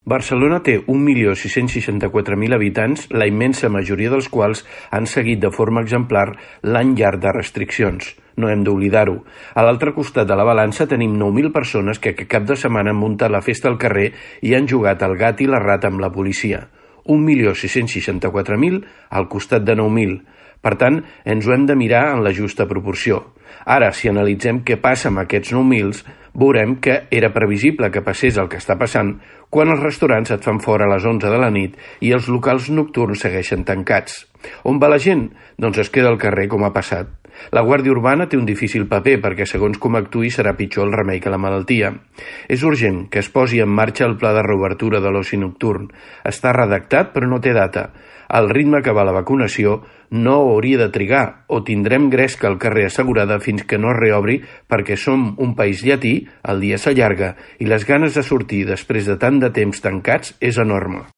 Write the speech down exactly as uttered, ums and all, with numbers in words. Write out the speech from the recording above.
Barcelona té un milió sis-cents seixanta-quatre mil habitants, la immensa majoria dels quals han seguit de forma exemplar l'any llarg de restriccions. No hem d'oblidar-ho. A l'altre costat de la balança tenim nou mil persones que aquest cap de setmana han muntat la festa al carrer i han jugat al gat i la rata amb la policia. un milió sis-cents seixanta-quatre mil al costat de nou mil. Per tant, ens ho hem de mirar en la justa proporció. Ara, si analitzem què passa amb aquests nou mil, veurem que era previsible que passés el que està passant quan els restaurants et fan fora a les onze de la nit i els locals nocturns segueixen tancats. On va la gent? Doncs es queda al carrer, com ha passat. La Guàrdia Urbana té un difícil paper perquè, segons com actuï, serà pitjor el remei que la malaltia. És urgent que es posi en marxa el pla de reobertura de l'oci nocturn. Està redactat, però no té data. Al ritme que va la vacunació, no hauria de trigar, o tindrem gresca al carrer assegurada fins que no es reobri, perquè som un país llatí, el dia s'allarga, i les ganes de sortir després de tant de temps tancats és enorme.